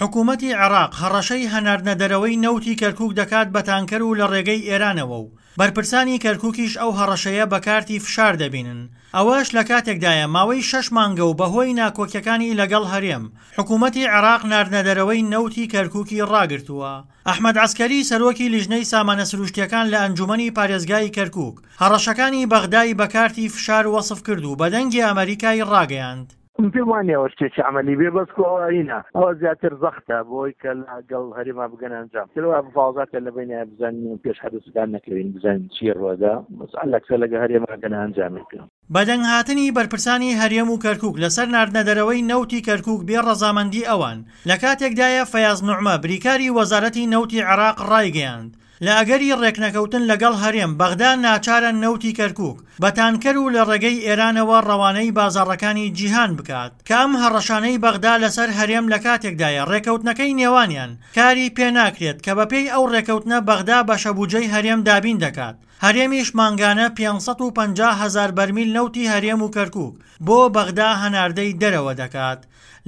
حکوومەتی عێراق هەڕەشەی هەناردنە دەرەوەی نەوتی کەرکووک دەکات بە تانکەر و لە ڕێگەی ئێرانەوە و بەرپرسانی کەرکووکیش ئەو هەڕەشەیە بە کارتی فشار دەبینن. ئەوەش لە کاتێکدایە ماوەی شەش مانگە و بەهۆی ناکۆکیەکانی لەگەڵ هەرێم، حکوومەتی عێراق ناردنەدەرەوەی نەوتی کەرکووکی ڕاگرتووە. ئەحمەد عەسکەری سەرۆکی لیژنەی سامانە سروشتییەکان لە ئەنجوومەنی پارێزگای کەرکووک، هەڕەشەکانی بەغدای بە کارتی فشار وەسف کرد و بە دەنگی ئەمەریکای ڕاگەیاند. من پێم وا نییە ئەوە شتێکی عەمەلی بێ بەس کو ئەوە هینە ئەوە زیاتر زەختە بۆی کە لەگەڵ هەرێما بگەنە ئەنجام تر وا مفاوەزاتە لە بەینایە بزانین پێش حەدەسەکان نەکەوین بزانین چی ڕوەدا بەس عەلەکسە لەگە هەرێما گەنە ئەنجامێک. بەدەنگهاتنی بەرپرسانی هەرێم و کەرکوک لەسەر ناردنەدەرەوەی نەوتی کەرکوک بێ ڕەزامەندی ئەوان، لەکاتێکدایە فەیاز نوعمە بریکاری وەزارەتی نەوتی عێراق ڕایگەیاند، لە ئەگەری ڕێکنەکەوتن لەگەڵ هەرێم، بەغدا ناچارە نەوتی کەرکوک بە تانکەر و لە ڕێگەی ئێرانەوە ڕەوانەی بازاڕەکانی جیهان بکات، کە ئەم هەڕەشانەی بەغدا لەسەر هەرێم لەکاتێکدایە ڕێکەوتنەکەی نێوانیان کاری پێناکرێت کە بەپێی ئەو ڕێکەوتنە بەغدا بەشەبوجەی هەرێم دابین دەکات. هەرێمیش مانگانە 550 هەزار بەرمیل نەوتی هەرێم و کەرکوک بۆ بەغدا هەناردەی دەرەوە دەکات.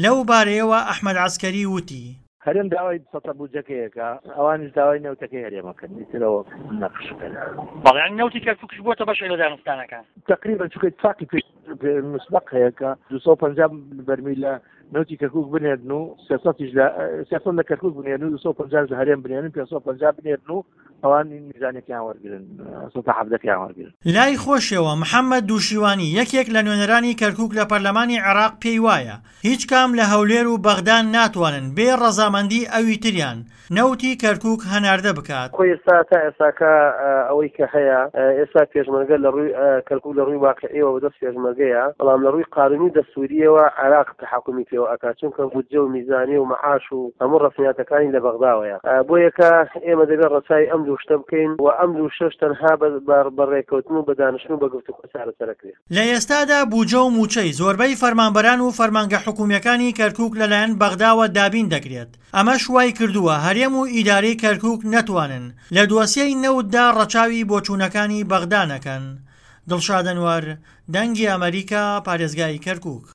لەو بارەیەوە ئەحمەد عەسکەری وتی. هەرێم داوای سەتە بودجەکەی ئەکا، ئەوانیش داوای نەوتەکەی هەرێم ئەکەن، ئیتر ئەوە نەقشەکە. بەڵێ یانی نەوتی کەرکوکیش بۆتە بەشێک لە دانوستانەکان؟ تەقریبەن چونکە ئیتفاقی پێ مسبەق هەیە کە 250 بەرمیل لە نەوتی کەرکوک بنێرن و 300 لە 300 لە کەرکوک بنێرن و 250 لە هەرێم بنێرن 550 بنێرن و ئەوان میزانێکیان وەرگن 117 وەرگن. لای خۆشیەوە محەمەد دووشیوانی یەکێک لە نوێنەرانی کەرکوک لە پەرلەمانی عێراق پێی وایە هیچ کام لە هەولێر و بەغدا ناتوانن بێ ڕەزامەندی ئەوی تریان نەوتی کەرکوک هەناردە بکات. خۆی ئێستا تا ئێستاکە ئەوەی کە هەیە ئێستا پێشمەرگە لە ڕووی کەرکوک لە ڕووی واقعیەوە بەدەست پێشمەرگەیە بەڵام لە ڕووی قانونی و دەستوریەوە عێراق تەحەکومی پێوە ئەکات چونکە بودجە و میزانیە و مەعاش و هەموو ڕەسمیاتەکانی لە بەغداوەیە بۆیەکە ئێمە دەبێت ڕەچاوی ئەم دوو شتە بکەین و ئەم دوو شتەش تەنها بە ڕێکەوتن و بە دانیشتن و بە گفتوگۆ چارەسەرەکرێ. لە ئێستادا بوجە و موچەی زۆربەی فەرمانبەران و فەرمانگە حکومییەکانی کەرکوک لەلایەن بەغداوە دابین دەکرێت، ئەمەش وایکردووە هەرێم و ئیدارەی کەرکوک نەتوانن لە دۆسیەی نەوتدا ڕەچاوی بۆچوونەکانی بەغدا نەکەن. دڵشاد ئەنوەر، دەنگی ئەمەریکا، پارێزگای کەرکوک.